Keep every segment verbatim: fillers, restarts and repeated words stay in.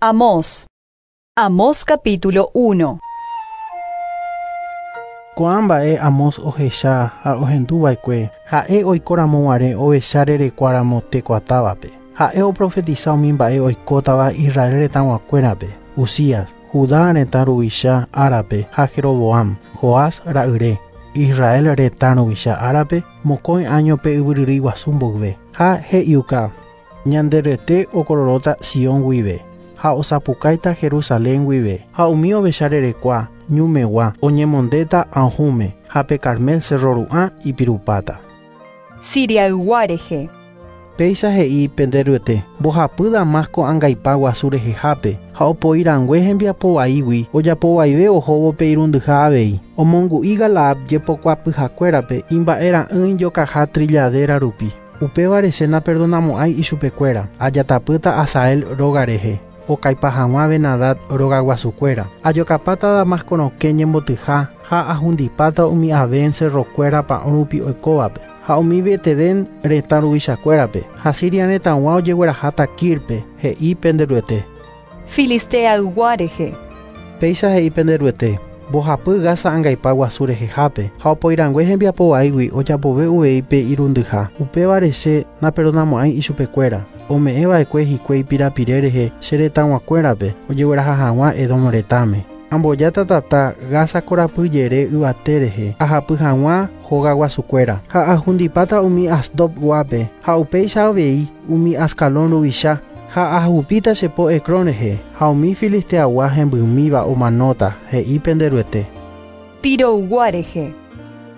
Amós. Amós capítulo uno. Ko'ã mba'e Amós ohecha ha ohenduva'ekue ha'e oikoramoguare ovecha rerekuáramo Tecoatávape. Ha'e oprofetisa umi mba'e oikótava Israel retãguakuérape, Uzías, Judá retã ruvicha árape ha Jeroboam, Joás ra'yre, Israel retã ruvicha árape mokõi áñope yvyryrýi guasu mboyve. Ha he'iuka Ñanderuete okororõta Sion guive ha osapukáita Jerusalén guive ha umi ovecha rerekua ñumegua oñemondéta ahũme ha pe Carmel cerro ru'ã ipirupáta. Siriaygua rehe. Péicha he'i Penderuete mbohapy Damasco angaipa guasu rehehápe ha opoirangue hembiapo vaígui ojapovaive ohóvo pe irundyha avei. Omongu'i Galaad jepokuapyhakuérape imba'era'ỹi jokaha trilladera rupi. Upévare che naperdonamo'ãi ichupekuéra ajatapýta Hazael róga rehe okaipa hag̃ua Ben-Hadad rogaguasukuéra. Ajokapáta Damasco rokẽ ñembotyha ha ahundipáta umi Aven cerrokuéra pa'ũ oikóvape ha umi Betedén retã ruvichakuérape ha Siria retãgua ojegueraháta Kirpe he'i Penderuete. Filisteaygua rehe. Péicha he'i Penderuete mbohapy Gaza angaipa guasu rehehápe ha opoirangue hembiapo vaígui ojapove uvei pe irundyha. Upévare che naperdonamo'ãi ichupekuéra ome'ẽva'ekue hikuái pirapire rehe che retãguakuérape ojegueraha hag̃ua Edom retãme. Ambojáta tata Gaza korapyjere yvate rehe ahapy hag̃ua hogaguasukuéra ha ahundipáta umi Asdod guápe ha upéicha avei umi Ascalón ruvicha ha ahupíta che po Ecrón rehe ha umi Filisteagua hembymíva omanóta he'i Penderuete. Tiroygua rehe.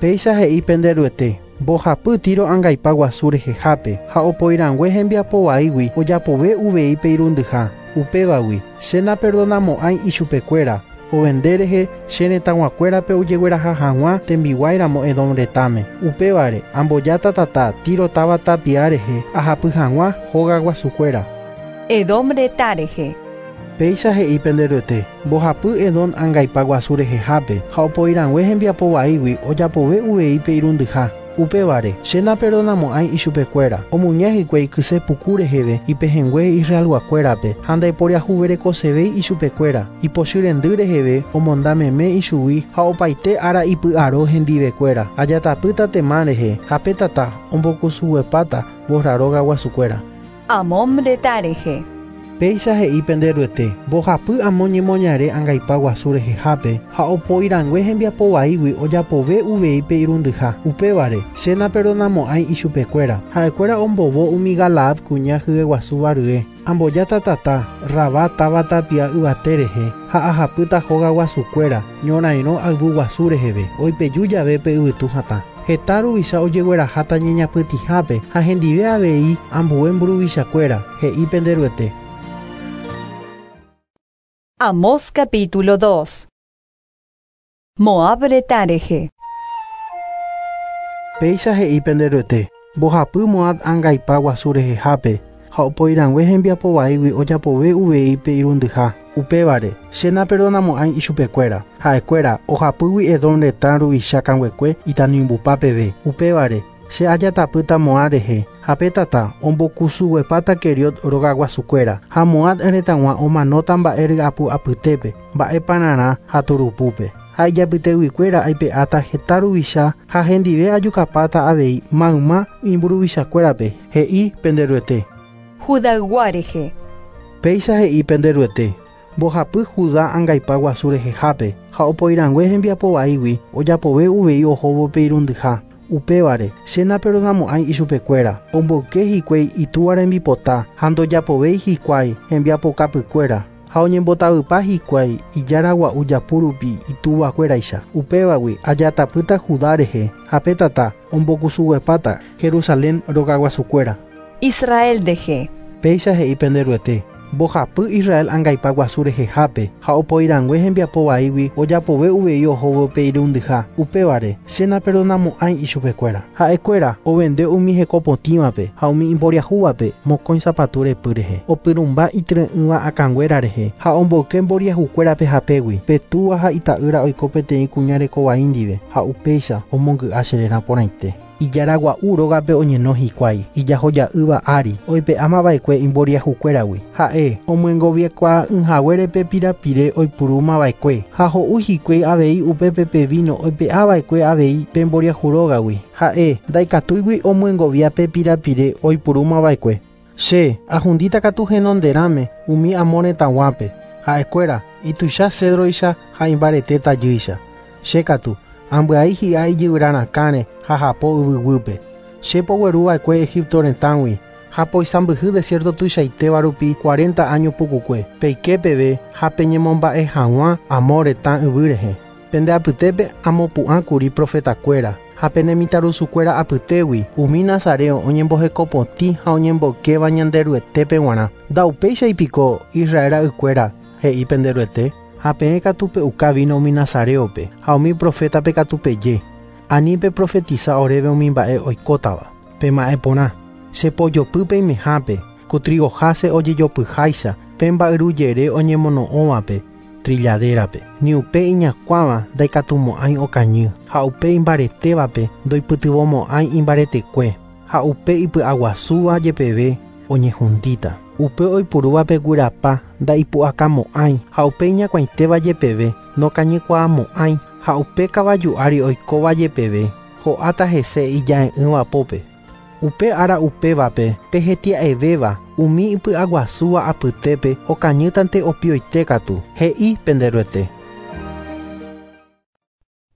Péicha he'i Penderuete mbohapy Tiro angaipa guasu rehehápe ha opoirangue hembiapo vaígui ojapove uvei pe irundyha. Upévagui che naperdonamo'ãi ichupekuéra ovende rehe che retãguakuérape ojegueraha hag̃ua tembiguáiramo Edom retãme. Upévare ambojáta tata Tiro táva tapia rehe ahapy hag̃ua hogaguasukuéra. Edom retã rehe. Péicha he'i Penderuete mbohapy Edom angaipa guasu rehehápe ha opoirangue hembiapo vaígui ojapove uvei pe irundyha. Upévare che naperdonamo'ãi ichupekuéra omuña hikuái kyse puku reheve ipehẽngue Israelguakuérape ha ndaiporiahuverekosevéi ichupekuéra ipochy rendy reheve omonda meme ichugui ha opaite ára ipy'aro hendivekuéra. Ajatapýta Temán rehe ha pe tata ombokusuguepáta Bosra róga guasukuéra. Amón retã rehe. Péicha he'i Penderuete mbohapy Amón ñemoñare angaipa guasu rehehápe ha opoirangue hembiapo vaígui ojapove uvei pe irundyha. Upévare che naperdonamo'ãi ichupekuéra ha'ekuéra ombovo umi Galaad kuña hyeguasúva rye. Ambojáta tata Rabá táva tapia yvate rehe ha ahapýta hogaguasukuéra ñorairõ ayvu guasu reheve oipeju jave pe yvytu hatã. Heta ruvicha ojegueraháta ñeñapytĩhápe ha hendive avei ambue mburuvichakuéra he'i Penderuete. Amós capítulo dos. Moab retã rehe. Péicha he'i Penderuete mbohapy Moab angaipa guasu rehehápe ha opoirangue hembiapo vaígui ojapove uvei pe irundyha. Upévare che naperdonamo'ãi ichupekuéra ha'ekuéra ohapýgui Edom retã ruvicha kanguekue itanimbupa peve. Upévare che ajatapýta Moab rehe ha pe tata ombokusuguepáta Keriot rogaguasukuéra ha Moab retãgua omanóta mba'e ry'apu apytépe mba'epararã ha turupúpe. Ha ijapyteguikuéra aipe'áta heta ruvicha ha hendive ajukapáta avei mayma imburuvichakuérape he'i Penderuete. Judaygua rehe. Péicha he'i Penderuete mbohapy Judá angaipa guasu rehehápe ha opoirangue hembiapo vaígui ojapove uvei ohóvo pe irundyha. Upévare che naperdonamo'ãi ichupekuéra omboyke hikuái itúva rembipota ha ndojapovéi hikuái hembiapokapykuéra ha oñembotavypa hikuái ijára gua'u japu rupi ituvakuéraicha. Upévagui ajatapýta Judá rehe ha pe tata ombokusuguepáta Jerusalén rogaguasukuéra. Israel rehe. Péicha he'i Penderuete mbohapy Israel angaipa guasu rehehápe ha opoirangue hembiapo vaígui ojapove uvei ohóvo pe irundyha. Upévare che naperdonamo'ãi ichupekuéra ha'ekuéra ovende umi hekopotĩvape ha umi imboriahúvape mokõi sapatu repy rehe opyrũmba ityre'ỹva akãnguéra rehe ha omboyke mboriahukuérape hapégui pe túva ha ita'ýra oiko peteĩ kuña rekovai ndive ha upéicha omongy'a che réra porãite. Ijaragua'u rógape oñeno hikuái, ijahoja'ỹva ári, oipe'amava'ekue imboriahukuéragui. Ha'e omyengoviekuaa'ỹhaguérepe pirapire oipurúmava'ekue ha ho'u hikuái avei upépe pe vino oipe'ava'ekue avei pe mboriahu rógagui. Ha'e ndaikatúigui omyengovia pe pirapire oipurúmava'ekue. Che ahundíta katu henonderãme umi amo retãguápe. Ha'ekuéra ituicha cedroicha ha imbarete tajýicha. Che katu ambyai hi'a ijyvyrarakãre ha hapo yvyguýpe. Che pogueruva'ekue Egipto retãgui ha poisãmbyhy desierto tuichaitéva rupi cuarenta año pukukue. Peike peve ha peñemomba'e hag̃ua amo retã yvy rehe. Pende apytépe amopu'ãkuri profetakuéra ha pene mitãrusukuéra apytégui umi nazareo oñembohekopotĩ ha oñemboykéva Ñanderuetépe g̃uarã. Ndaupéichaipiko Israel ra'ykuéra he'i penderuete ha peẽ katu pe'uka vino umi nazareope ha umi profetape katu peje. Ani peprofetiza oréve umi mba'e oikótava. Pema'ẽ porã. Che pojopy peimehápe, ku trigoháse ojejopyháicha, pe mba'yrujere oñemono'õvape trilladérape. Ni upe iñakuãva ndaikatumo'ãi okañy, ha upe imbaretévape ndoipytyvõmo'ãi imbaretekue, ha upe ipy'aguasúva jepeve oñehundíta. Upe oipurúvape guyrapa ndaipu'akamo'ãi, ha upe iñakuãitéva jepeve nokañykuaamo'ãi, ha upe kavaju ári oikóva jepeve ho'áta hese ija'e'ỹva pópe. Upe ára upévape pehetia'evéva umi ipy'aguasúva apytépe okañýtante opioite katu, he'i penderuete.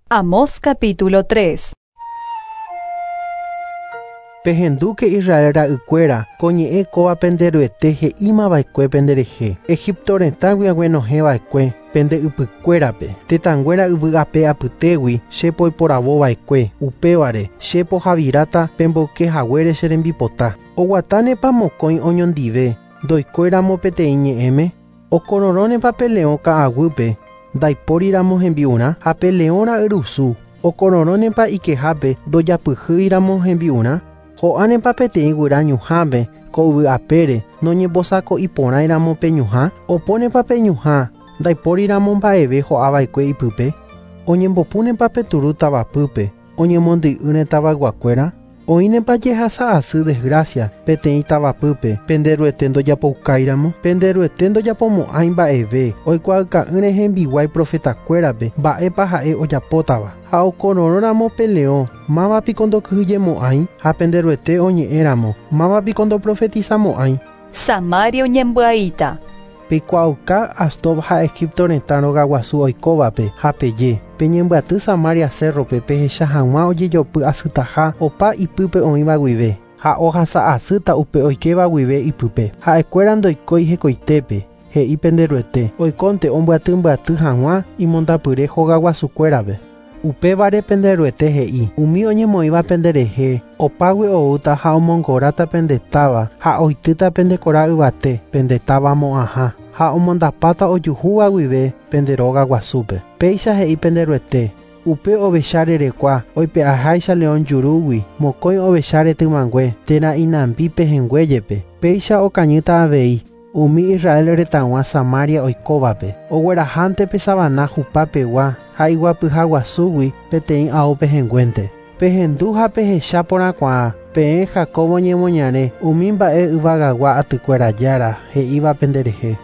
Amós capítulo tres. Pehendúke Israel ra'ykuéra ko ñe'ẽ kóva penderuete he'ímava'ekue penderehe. Egipto retãgui aguenohẽva'ekue pende ypykuérape. Tetãnguéra yvy ape apytégui che poiporavova'ekue. Upévare che pohaviráta pemboykehaguére che rembipota. Oguatánepa mokõi oñondive ndoikóiramo peteĩ ñe'ẽme. Okororõnepa pe leõ ka'aguýpe ndaipóriramo hembi'urã ha pe leõ ra'yrusu. Okororõnepa ikehápe ndojapyhýiramo hembi'urã. Ho'ánepa peteĩ guyra ñuhãme ko yvy apére noñembosako'iporãiramo pe ñuhã. Opónepa pe ñuhã ndaipóriramo mba'eve ho'ava'ekue ipype. Oñembopúnepa pe turu tavapýpe oñemondy'ỹre tavayguakuéra. Oĩnepa jehasa asy desgracia peteĩ tavapýpe penderuete ndojapoukáiramo. Penderuete ndojapomo'ãi mba'eve oikuaaka'ỹre hembiguái profetakuérape mba'épa ha'e ojapótava. Ha okororõramo pe leõ mávapiko ndokyhyjemo'ãi ha penderuete oñe'ẽramo mávapiko ndoprofetizamo'ãi. Samaria oñembyaíta. Peikuaauka Asdod ha Egipto retã rogaguasu oikóvape ha peje. Peñembyaty Samaria cerrope pehecha hag̃ua ojejopy asytaha opa ipýpe oĩva guive ha ohasa asýta upe oikéva guive ipype. Ha'ekuéra ndoikói hekoitépe, he'i penderuete, oikónte ombyatymbyaty hag̃ua imondapyre hogaguasukuérape. Upévare penderuete he'i, umi oñemoĩva penderehe, opágui oúta ha omongoráta pendetáva ha oitýta pendekora yvate pendetáva mo'ãha ha omondapáta ojuhúva guive pende róga guasúpe. Péicha he'i penderuete, upe ovecha rerekua oipe'aháicha león jurúgui mokõi ovecha retymangue térã inambi pehẽnguéjepe. Péicha okañýta avei umi Israel retãgua Samaria oikóvape. Oguerahánte pe savana hupapegua ha iguapyhaguasúgui peteĩ ao pehẽnguénte. Pehendu ha pehecha porãkuaa peẽ Jacobo ñemoñare umi mba'e yvagagua atykuéra jára he'íva penderehe.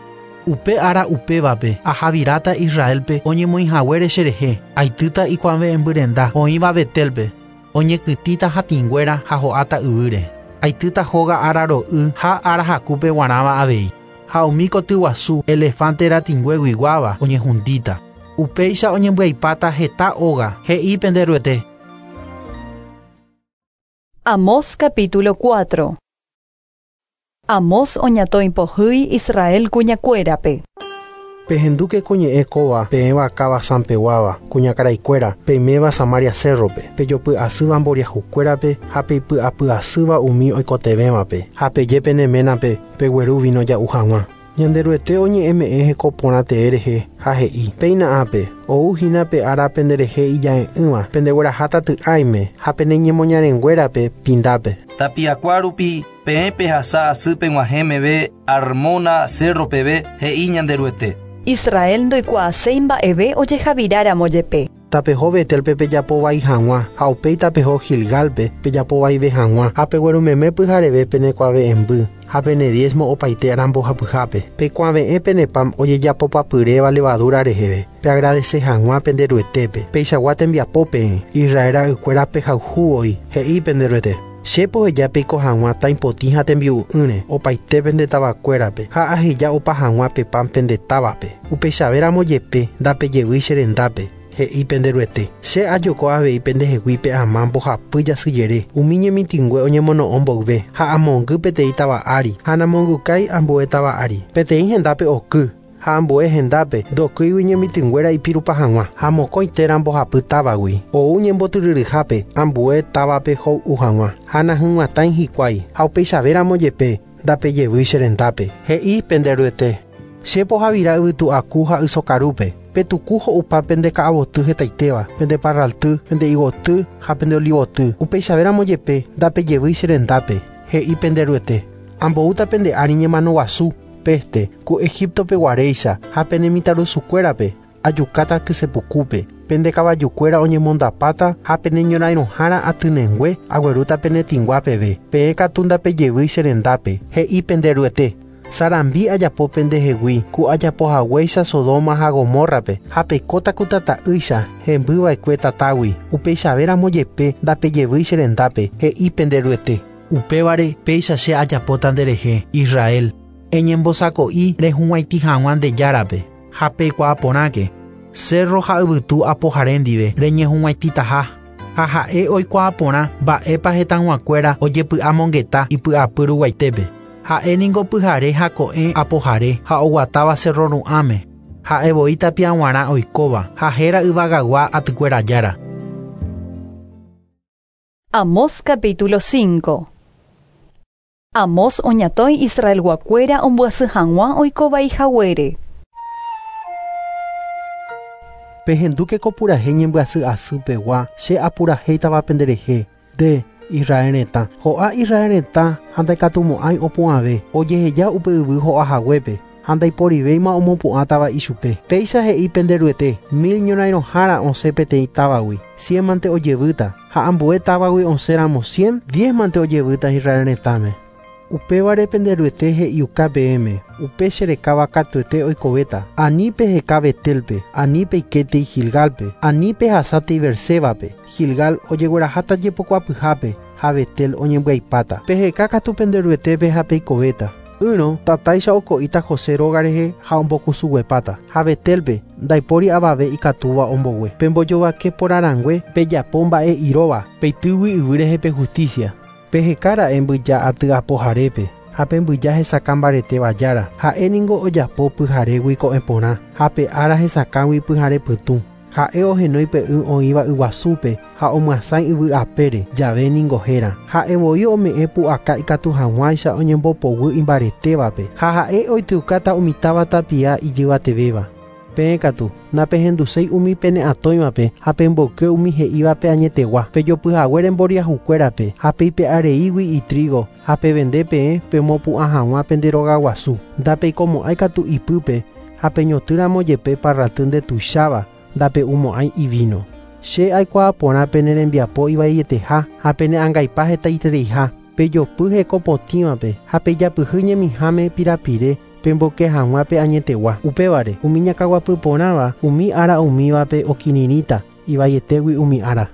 Upe ára upévape ahaviráta Israelpe oñemoĩhaguére cherehe. Aitýta ikuave'ẽmbyrenda oĩva Betelpe. Oñekytĩta hatĩnguéra ha ho'áta yvýre. Aitýta hóga ára ro'y ha ára hakúpe guarãva avei. Ha umi kotyguasu elefante ratĩngueguiguáva oñehundíta. Upéicha oñembyaipáta heta óga, he'i penderuete. Amós capítulo cuatro. Amós oñatoimpohýi Israel kuñakuérape. Pehendúke ko ñe'ẽ kóva peẽva káva Sampeguáva, kuñakaraikuéra, peiméva Samaria cerrope, pejopy'asýva mboriahukuérape ha peipy'apy'asýva umi oikotevẽvape, ha peje peneménape pegueru vino ja'u hag̃ua. Ñanderuete oñe'ẽme'ẽ heko porã tee rehe ha he'i, péina ápe, ou hína pe ára penderehe ija'e'ỹva, pendegueraháta ty'ãime ha peneñemoñarenguérape pindápe. Tapiakua rupi peẽ pehasa asy peg̃uahẽmeve Armona cerro peve he'i Ñanderuete. Israel ndoikuaaséi mba'eve ojehaviráramo jepe. Tapeho Betelpe pejapovai hag̃ua ha upéi tapeho Gilgalpe pejapovaive hag̃ua ha peguerumeme pyhareve penekuave'ẽmby ha pene diezmo opaite arambohapyhápe. Pekuave'ẽ pene pan ojejapopapyréva levadura reheve peagradece hag̃ua penderuetépe. Peichagua tembiapo peẽ Israel ra'ykuéra pehayhúvoi he'i penderuete. Che poheja peiko hag̃ua tãipotĩ ha tembi'u'ỹre opaite pende tavakuérape ha aheja opa hag̃ua pe pan pende távape. Upeichavéramo jepe ndapejevýi che rendápe he'i penderuete. Che ajoko avei pendehegui pe ama mbohapy jasyjere umi ñemitỹngue oñemono'õ mboyve ha amongy peteĩ táva ári ha namongykái ambue táva ári. Peteĩ hendápe oky ha ambue hendápe ndokýigui ñemitỹnguéra ipirupa hag̃ua ha mokõi térã mbohapy távagui ou ñembotyryryhápe ambue távape hoy'u hag̃ua ha nahyg̃uatãi hikuái ha upeichavéramo jepe ndapejevýi che rendápe he'i penderuete. Che pohavira yvytu'aku ha ysokarúpe petuku ho'upa pende ka'avoty hetaitéva pende parralty pende igoty ha pende olivoty upeichavéramo jepe ndapejevýi che rendápe he'i penderuete. Amboúta pende ári ñemano guasu peste ku Egiptope guaréicha ha pene mitãrusukuérape ajukáta kysepukúpe pende kavajukuéra oñemondapáta ha pene ñorãirõhára atynengue aguerúta pene tĩngua peve peẽ katu ndapejevýi che rendápe he'i penderuete. Sarambi ajapo pendehegui ku ajapohaguéicha Sodoma ha Gomorrape ha peikóta ku tata'ýicha hembyva'ekue tatágui upeichavéramo jepe ndapejevýi che rendápe he'i penderuete. Upévare péicha che ajapóta nderehe Israel eñembosako'i rehug̃uaitĩ hag̃ua nde járape ha peikuaa porãke cerro ha yvytu apohare ndive reñehug̃uaitĩtaha ha ha'e oikuaa porã mba'épa hetãguakuéra ojepy'amongeta ipy'apy ruguaitépe. Ha'e ningo pyhare ha ko'ẽ apohare ha oguatáva cerro ru'ãme ha'e voi tapiaguarã oikóva ha héra yvagagua atykuéra jára. Amós capítulo cinco. Amós oñatõi Israelguakuéra ombyasy hag̃ua oikovai haguére. Pehendúke ko purahéi ñembyasy asy pegua che apurahéitava penderehe nde Israel retã. Ho'a Israel retã ha ndaikatumo'ãi opu'ãve ojeheja upe yvy ho'a haguépe ha ndaiporivéima omopu'ãtava ichupe. Péicha he'i penderuete mil ñorãirõhára osẽ peteĩ távagui cien mante ojevýta ha ambue távagui osẽramo cien diez mante ojevýta Israel retãme. Upévare penderuete he'iuka peẽme upe cherekáva katuete oikovéta ani peheka Betelpe ani peikétei Gilgalpe ani pehasátei Bersébape Gilgal ojegueraháta jepokuapyhápe ha Betel oñembyaipáta. Peheka katu penderuetépe ha peikovéta. Ỹrõ tatáicha oko'íta José róga rehe ha ombokusuguepáta ha Betelpe ndaipóri avave ikatúva ombogue. Pembojovake porãrangue pejapo mba'e iróva peitýgui yvy rehe pe justicia. Pehekára'e mbyja aty apoharépe ha pe mbyja hesakã mbaretéva jára ha'e ningo ojapo pyharégui ko'ẽ porã ha pe ára hesakãgui pyhare pytũ ha'e ohenói pe y oĩva yguasúpe ha omyasãi yvy apére jave ningo héra ha'e voi ome'ẽ pu'aka ikatu hag̃uáicha oñembopoguy imbaretévape ha ha'e oityukáta umi táva tapia ijyvatevéva. Peẽ katu napehenduséi umi pene atõivape ha pemboyke umi he'ívape añetegua pejopyhaguére mboriahukuérape ha peipe'areígui itrigo ha pevende peẽ pemopu'ã hag̃ua pende rogaguasu ndapeikomo'ãi katu ipýpe ha peñotỹramo jepe parraty ndetuicháva ndape'umo'ãi ivino. Che aikuaa porã pene rembiapo ivaieteha ha pene angaipa hetaitereiha pejopy hekopotĩvape ha pejapyhy ñemiháme pirapire pemboke hag̃ua pe añetegua. Upévare umi ñakaguapy porãva umi ára umívape okirirĩta ivaietégui umi ára.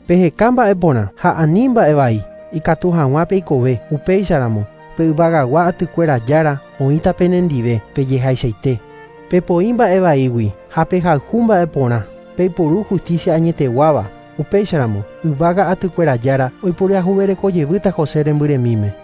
Peheka mba'e porã ha ani mba'e vai ikatu hag̃ua peikove upéicharamo pe yvagagua atykuéra jára oĩta penendive pejehaichaite. Pepoĩ mba'e vaígui ha pehayhu mba'e porã peiporu justicia añeteguáva upéicharamo yvága atykuéra jára oiporiahuverekojevýta José rembyremíme.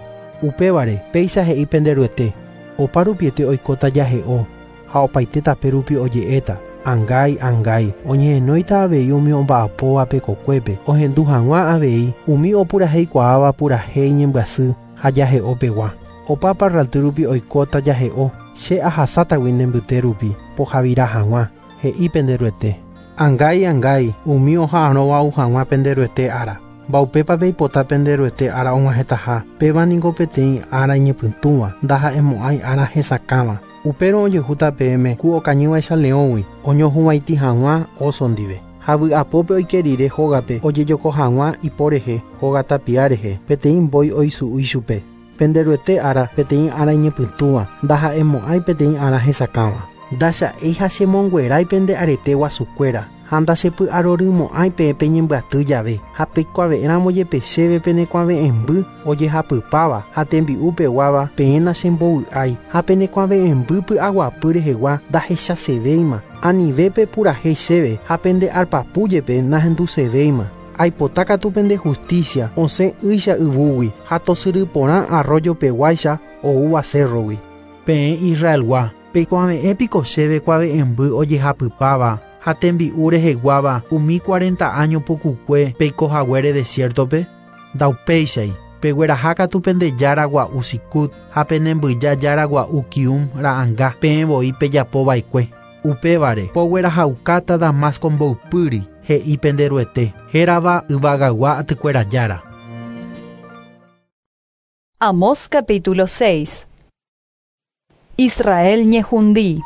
Upévare péicha he'i penderuete opa rupiete oikóta jahe'o ha opaite tape rupi oje'éta angái angái oñehenóita avei umi omba'apóvape kokuépe ohendu hag̃ua avei umi opuraheikuaáva purahéi ñembyasy ha jahe'opegua. Opa parralty rupi oikóta jahe'o che ahasátagui nembyte rupi pohavira hag̃ua he'i penderuete. Angái angái umi oha'arõva ou hag̃ua penderuete ára. Mbaupépa peipota penderuete ára og̃uahẽtaha péva ningo peteĩ ára iñepytũva ndaha'emo'ãi ára hesakãva. Upérõ ojehúta peẽme ku okañývaicha leõgui oñohug̃uaitĩ hag̃ua oso ndive. Ha vy'apópe oike rire hógape ojejoko hag̃ua ipo rehe hóga tapia rehe peteĩ mbói oisu'u ichupe. Penderuete ára peteĩ ára iñepytũva ndaha'emo'ãi peteĩ ára hesakãva. Ndacha'éi ha chemonguerái pende arete guasukuéra ha ndachepy'arorymo'ãi peẽ peñembyaty jave ha peikuave'ẽramo jepe chéve penekuave'ẽmby ojehapypáva ha tembi'upeguáva peẽ nachembovy'ái ha penekuave'ẽmby py'aguapy rehegua ndahechasevéima anive pepurahéi chéve ha pende arpapu jepe nahendusevéima. Aipota katu pende justicia osẽ ýicha yvúgui ha tosyry porã arroyo peguáicha oúva cerrogui. Peẽ Israelgua peikuave'ẽ piko chéve kuave'ẽmby ojehapypáva ha tembi'u reheguáva umi cuarenta año pukukue peikohaguére desiertope? Ndaupéichai pegueraha katu pende jára gua'u Sicut ha penembyja jára gua'u Kium ra'anga peẽ voi pejapova'ekue. Upévare poguerahaukáta Damasco mboypýri he'i penderuete hérava yvagagua atykuéra jára. Amós capítulo seis. Israel ñehundi.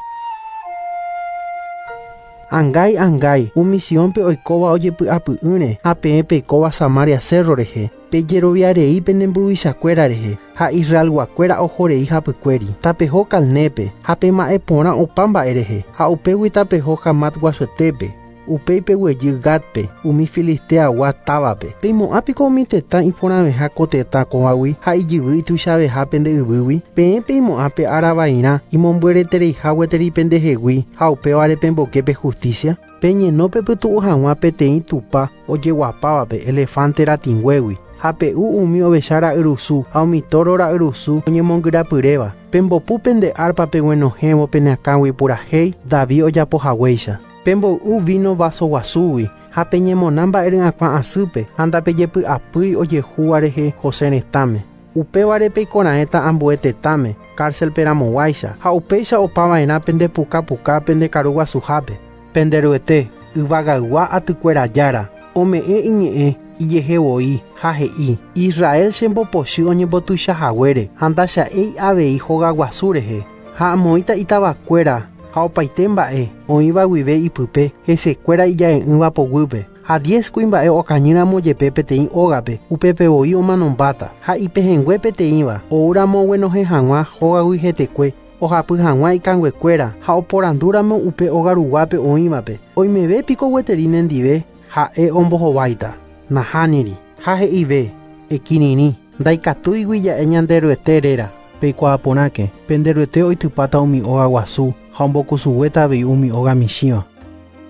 Angái angái umi Siónpe oikóva ojepy'apy'ỹre ha peẽ peikóva Samaria cerro rehe pejeroviarei pene mburuvichakuéra rehe ha Israelguakuéra ohorei hapykuéri tapeho Calnépe ha pema'ẽ porã opa mba'e rehe ha upégui tapeho Hamat guasuetépe upéi peguejy Gatpe umi Filisteagua távape peimo'ã piko umi tetã iporãveha ko tetã kóvagui ha ijyvy ituichaveha pende yvýgui peẽ peimo'ã pe aravairã imombyretereiha gueteri pendehegui ha upévare pemboke pe justicia peñeno pepytu'u hag̃ua peteĩ tupa ojeguapávape elefante ratĩnguégui ha pe'u umi ovecha ra'yrusu ha umi toro ra'yrusu oñemongyrapyréva pembopu pende arpa peguenohẽvo pene akãgui purahéi David ojapohaguéicha. Pemboy'u vino vaso guasúgui ha peñemona mba'ery'akuã asýpe ha ndapejepy'apýi ojehúva rehe José retãme. Upévare peikorãéta ambue tetãme cárcelpe ramoguáicha ha upéicha opava'erã pendepukapuka pende karu guasuhápe. Penderuete yvagaygua atykuéra jára ome'ẽ iñe'ẽ ijehe voi ha he'i Israel chembopochy oñembotuichahaguére ha ndacha'éi avei hogaguasu rehe ha amoĩta itavakuéra ha opaite mba'e oĩva guive ipype hesekuéra ija'e'ỹva poguýpe ha diez kuimba'e okañýramo jepe peteĩ ógape upépe voi omanombáta ha ipehẽngue peteĩva oúramo oguenohẽ hag̃ua hógagui hetekue ohapy hag̃ua ikanguekuéra ha oporandúramo upe óga ruguápe oĩvape oimeve piko gueteri nendive ha'e ombohováita nahániri ha he'ive ekirirĩ ndaikatúigui ja'e Ñanderuete réra peikuaaporãke penderuete oitypáta umi óga guasu ha ombokusuguéta avei umi óga michĩva.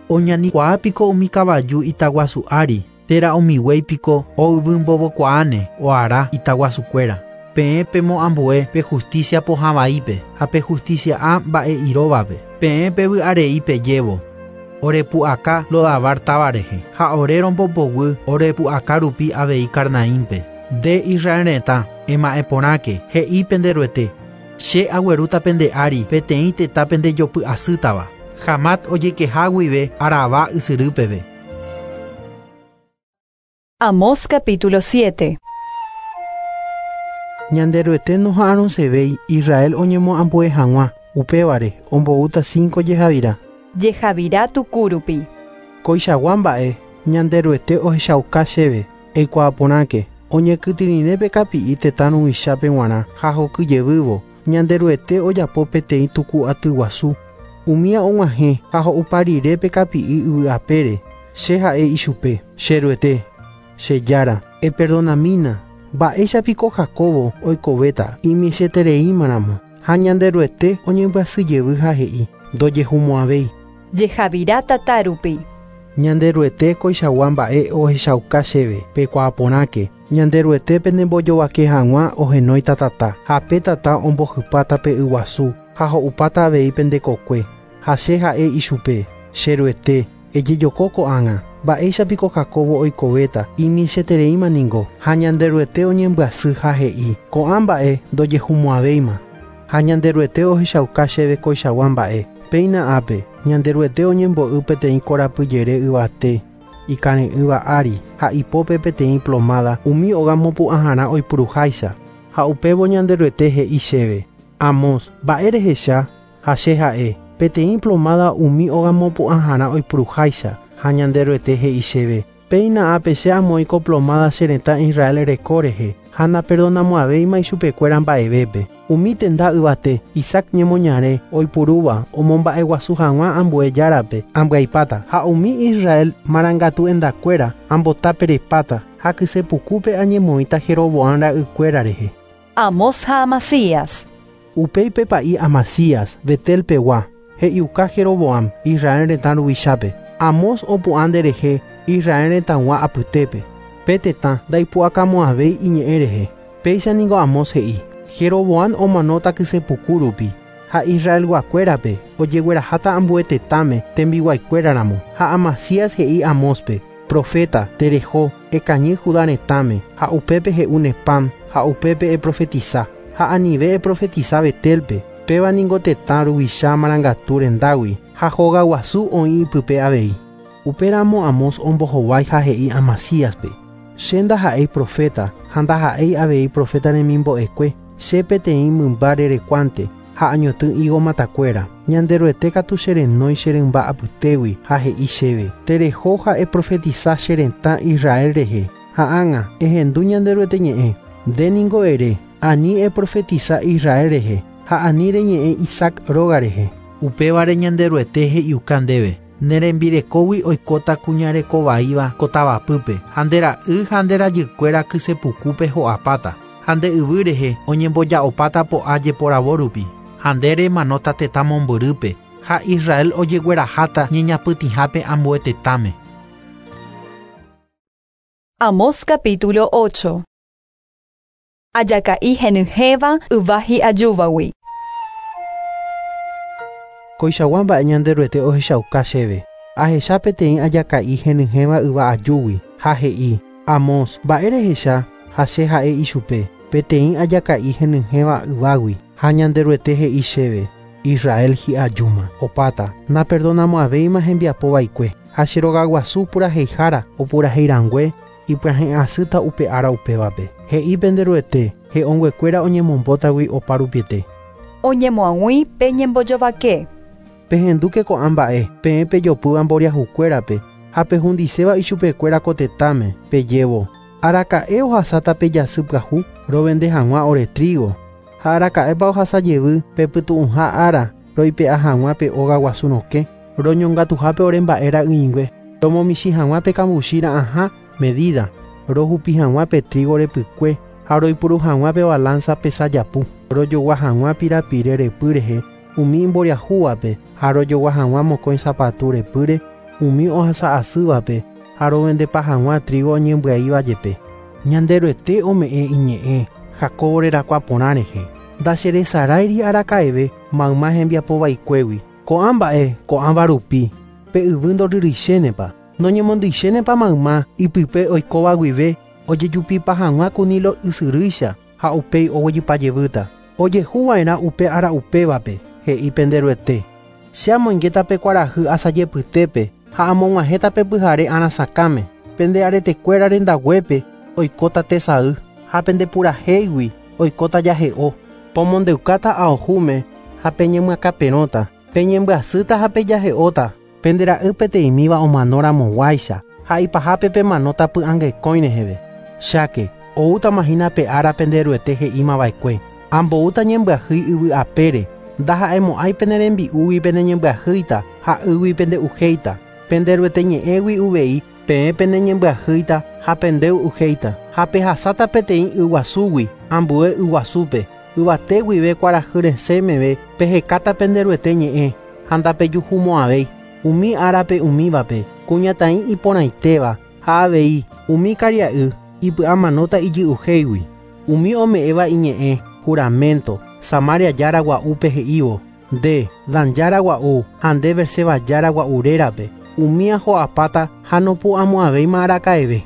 Oñanikuaa piko umi kavaju itaguasu ári térã umi guéi piko oyvymbovokuaáne oara itaguasukuéra. Peẽ pemoambue pe justicia pohãvaípe ha pe justicia a mba'e iróvape. Peẽ pevy'arei pejévo orepu'aka Lodabar táva rehe ha ore rombopoguy orepu'aka rupi avei Carnaímpe. Nde Israel retã ema'ẽ porãke he'i penderuete che aguerúta pende ári peteĩ tetã pendejopy'asýtava Hamat ojekeha guive Arabá ysyrýpeve. Amós capítulo siete. Ñanderuete noha'arõsevéi Israel oñemoambue hag̃ua upévare omboúta cinco jehavira. Jehavira tukurupi. Koichagua mba'e Ñanderuete ohechauka chéve eikuaaporãke oñekytyrĩre pe kapi'i tetã ruvichape g̃uarã ha hokyjevývo Ñanderuete ojapo peteĩ tuku aty guasu umía og̃uahẽ ha ho'upa rire pe kapi'i yvy'apére che ha'e ichupe cheruete che jára eperdonamína mba'éicha piko Jacobo oikovéta imichetereímaramo ha Ñanderuete oñembyasyjevy ha he'i ndojehumo'ãvéi. Jehavira tatarupi. Ñanderuete koichagua mba'e ohechauka chéve peikuaaporãke Ñanderuete pendembojovake hag̃ua ohenóita tata ha pe tata ombohypáta pe yguasu ha ho'upáta avei pendekokue ha che ha'e ichupe cheruete ejejoko ko'ág̃a mba'éicha piko Jacobo oikovéta imichetereíma ningo ha Ñanderuete oñembyasy ha he'i ko'ã mba'e ndojehumo'ãvéima ha Ñanderuete ohechauka chéve koichagua mba'e péina ápe Ñanderuete oñembo'y peteĩ korapyjere yvate ikare'ỹva ári ha ipópe peteĩ plomada umi óga mopu'ãharã oipuruháicha ha upévo Ñanderuete he'i chéve Amós mba'e rehecha ha che ha'e peteĩ plomada umi óga mopu'ãharã oipuruháicha Ha Ñanderuete he'i chéve, péina ápe che amoĩ ko plomada che retã Israel reko rehe, ha naperdonamo'ãvéima ichupekuéra mba'evépe. Umi tenda yvate, Isaac ñemoñare, oipurúva, omomba'eguasu hag̃ua ambue járape, ambyaipáta, ha umi Israel marangatu endakuéra, ambotaperepáta, ha kysepukúpe añemoĩta Jeroboam ra'ykuéra rehe. Amós ha Amasías. Upéi pe pa'i Amasías, Betel pegua, he'iuka Jeroboam, Israel retã ruvichápe. Amós opu'ã nderehe, Israel retãgua apytépe. Pe tetã ndaipu'akamo'ãvéi iñe'ẽ rehe. Péicha ningo Amós he'i, Jeroboam omanóta kysepuku rupi, ha Israelguakuérape ojegueraháta ambue tetãme tembiguaikuéraramo. Ha Amasías he'i Amóspe, profeta, tereho, ekañy Judá retãme, ha upépe he'úne pan, ha upépe eprofetiza, ha anive eprofetiza Betelpe, péva ningo tetã ruvicha marangatu rendágui, ha hogaguasu oĩ ipype avei. Upéramo Amós ombohovái ha he'i Amasíaspe, che ndaha'éi profeta, ha ndaha'éi avei profeta remimbo'ekue, che peteĩ mymba rerekuánte, ha añotỹ higo matakuéra. Ñanderuete katu che renói che rymba apytégui, ha he'i chéve, tereho ha eprofetiza che retã Israel rehe, ha ág̃a ehendu Ñanderuete ñe'ẽ, nde ningo ere, ani eprofetiza Israel rehe, ha ani reñe'ẽ Isaac róga rehe. Upévare Ñanderuete he'iuka ndéve, ne rembirekógui oikóta kuñarekovaíva ko tavapýpe, ha nde ra'y ha nde rajykuéra kysepukúpe ho'apáta, ha nde yvy rehe oñemboja'opáta po'a jeporavo rupi, ha nde remanóta tetã mombyrýpe, ha Israel ojegueraháta ñeñapytĩhápe ambue tetãme. Amós capítulo ocho. Ajaka'i henyhẽva yva hi'ajúvagui. Koichagua mba'e Ñanderuete ohechauka chéve. Ahecha peteĩ ajaka'i henyhẽva yva ajúgui, ha he'i, Amós, mba'e rehecha, ha che ha'e ichupe, peteĩ ajaka'i henyhẽva yvágui, ha Ñanderuete he'i chéve, Israel hi'ajúma, opáta, naperdonamo'ãvéima hembiapo vaikue, ha che rogaguasu puraheihára opuraheirangue, ipyahẽ'asýta upe ára upévape. He'i penderuete, he'õnguekuéra oñemombótagui opa rupiete. Oñemoag̃ui pe ñembojovake. Pehendúke ko'ã mba'e, peẽ pejopýva mboriahukuérape, ha pehundiséva ichupekuéra ko tetãme, pejévo, araka'e ohasáta pe jasy pyahu, rovende hag̃ua ore trigo, ha araka'épa ohasa jevy pepytu'ũha ára, roipe'a hag̃ua pe óga guasu rokẽ, roñongatuhápe ore mba'e ra'ỹingue, romomichĩ hag̃ua pe kambuchi ra'ãha medida, rohupi hag̃ua pe trigo repykue, ha roipuru hag̃ua pe balanza pesajapu, rojogua hag̃ua pirapire repy rehe, umi mboriahúvape, ha rojogua hag̃ua mokõi sapatu repýre, umi ohasa'asývape, ha rovendepa hag̃ua trigo oñembyaíva jepe. Ñanderuete ome'ẽ iñe'ẽ, Jacobo rerakuã porã rehe. Ndacheresaráiri araka'eve mayma hembiapovaikuégui. Ko'ã mba'e, ko'ãva rupi, pe yvy ndoryrýichénepa, noñemondýichénepa mayma ipype oikóva guive, ojejupipa hag̃ua ku Nilo ysyrýicha, ha upéi oguejypajevýta. Ojehuva'erã upe ára upévape, he'i penderuete. Che amoingéta pe kuarahy asajepytépe, ha amog̃uahẽta pe pyhare arasakãme. Pende aretekuéra rendaguépe oikóta tesay, ha pendepurahéigui oikóta jahe'o. Pomondeukáta aohúme, ha peñemyakãperõta, peñembyasýta ha pejahe'óta, pende ra'y peteĩmíva omanóramoguáicha, ha ipahápe pemanóta py'angekõi reheve. Cháke, oútamahína pe ára penderuete he'ímava'ekue. Amboúta ñembyahýi yvy apére, ndaha'emo'ãi pene rembi'úgui peneñembyahýita, ha ýgui pende'uhéita. Penderuete ñe'ẽgui uvei, peẽ peneñembyahýita ha pendey'uhéita, ha pehasáta peteĩ yguasúgui, ambue yguasúpe, yvate guive kuarahy resẽ meve pehekáta penderuete ñe'ẽ, ha ndapejuhumo'ãvéi. Umi árape umívape, kuñataĩ iporãitéva, ha avei umi karia'y ipy'amanóta ijy'uhéigui. Umi ome'ẽva iñe'ẽ, juramento, Samaria jára gua'úpe he'ívo, nde, Dan jára gua'u, ha nde Berseba jára gua'u rérape, umi aho'apáta ha nopu'ãmo'ãvéima araka'eve.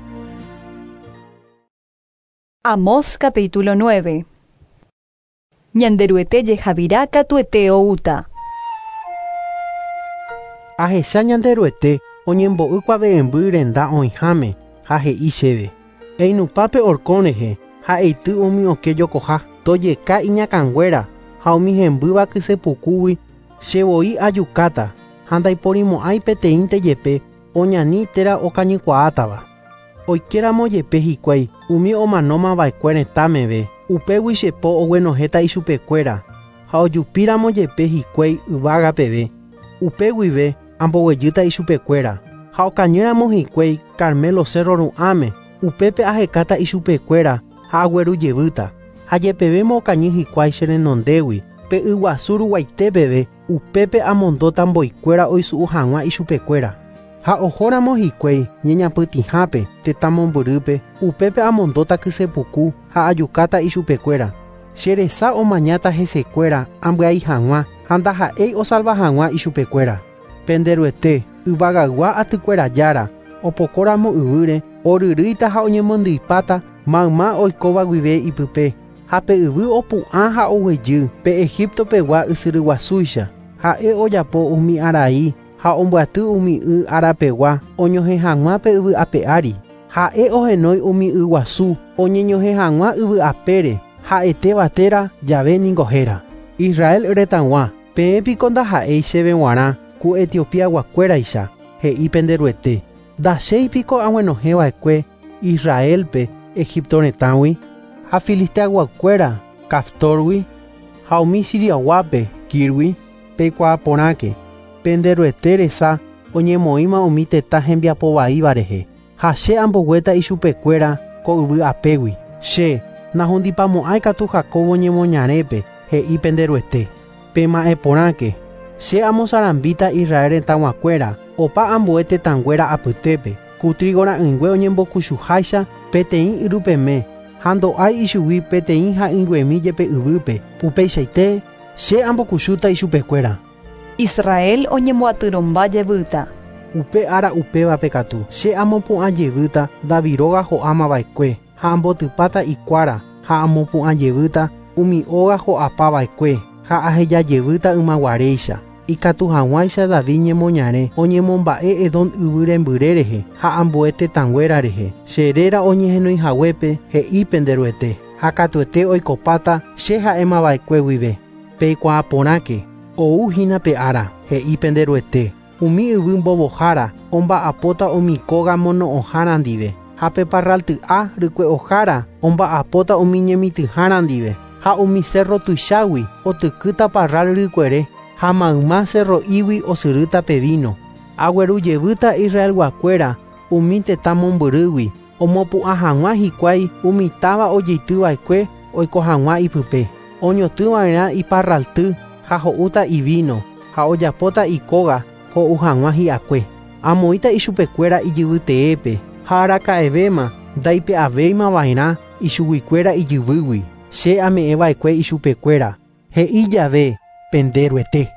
Amós capítulo nueve. Ñanderuete jehavira katuete oúta. Ahecha Ñanderuete oñembo'y kuave'ẽmby renda oĩháme, ha he'i chéve, einupápe horkõ rehe, ha eity umi okẽ jokoha, tojeka iñakãnguéra, ha umi hembýva kysepukúgui, che voi ajukáta, ha ndaiporimo'ãi peteĩnte jepe, Oñani térã okañykuaátava. Oikéramo jepe hikuái umi omanóma va'ekue retãmeve, upégui che po oguenohẽta ichupekuéra ha ojupíramo jepe hikuái yvága peve, upe guive amboguejýta ichupekuéra ha okañýramo hikuái Carmelo cerro ru'ãme, upépe ahekáta ichupekuéra ha aguerujevýta ha jepevémo okañy hikuái che renondégui pe yguasu ruguaite peve, upépe amondóta mboykuéra oisu'u hag̃ua ichupekuéra. Ha ohóramo hikuái ñeñapytĩhápe tetã mombyrýpe, upépe amondóta kysepuku ha ajukáta ichupekuéra. Che resa omañáta hesekuéra ambyai hag̃ua ha ndaha'éi osalva hag̃ua ichupekuéra. Penderuete yvagaygua atykuéra jára opokóramo yvýre oryrýita ha oñemondyipáta mayma oikóva guive ipype ha pe yvy opu'ã ha oguejy pe Egipto pegua ysyryguasúicha. Ha'e ojapo umi arai ha ombyaty umi y arapegua oñohẽ hag̃ua pe yvy ape ári. Ha'e ohenói umi yguasu oñeñohẽ hag̃ua yvy apére ha'etéva térã jave ningo héra. Israel retãgua peẽ piko ndaha'éi chéve g̃uarã ku Etiopiaguakuéraicha he'i penderuete. Ndachéi piko aguenohẽva'ekue Israelpe Egipto retãgui ha Filisteaguakuéra Caftorgui ha umi Siriaguápe Kirgui. Peikuaa porãke penderuete resa oñemoĩma umi tetã hembiapovaíva rehe ha che amboguéta ichupekuéra ko yvy apégui. Che nahundipamo'ãi katu Jacobo ñemoñarépe he'i penderuete. Pema'ẽ porãke che amosarambíta Israel retãguakuéra opa ambue tetãnguéra apytépe ku trigo ra'ỹingue oñembokuchuháicha peteĩ yrupeme ha ndo'ái ichugui peteĩ ha'ỹinguemi jepe yvýpe. Upeichaite che ambokuchúta ichupekuéra. Israel oñemoatyrõmba jevýta. Upe ára upévape katu che amopu'ã jevýta David róga ho'ámava'ekue ha ambotypáta ikuára ha amopu'ã jevýta umi óga ho'apava'ekue ha aheja jevýta ymaguaréicha. Ikatu hag̃uáicha David ñemoñare oñemomba'e Edom yvy rembyre rehe ha ambue tetãnguéra rehe. Che réra oñehenoihaguépe he'i penderuete ha katuete oikopáta che ha'émava'ekue guive. Peikuaa porãke ou hína pe ára he'i penderuete. Umi yvy mbovohára omba'apóta umi kóga mono'õhára ndive ha pe parralty'a rykue'ohára omba'apóta umi ñemitỹhára ndive ha umi cerro tuichágui otykýta parral rykuere ha mayma cerro'ígui osyrýta pe vino. Aguerujevýta Israelguakuéra umi tetã mombyrýgui omopu'ã hag̃ua hikuái umi táva ojeitýva'ekue oiko hag̃ua ipype. Oñotỹva'erã iparralty ha ho'úta ivino ha ojapóta ikóga ho'u hag̃ua hi'akue. Amoĩta ichupekuéra ijyvyteépe ha araka'evéma ndaipe'avéimava'erã ichuguikuéra ijyvýgui. Che ame'ẽva'ekue ichupekuéra he'i jave penderuete.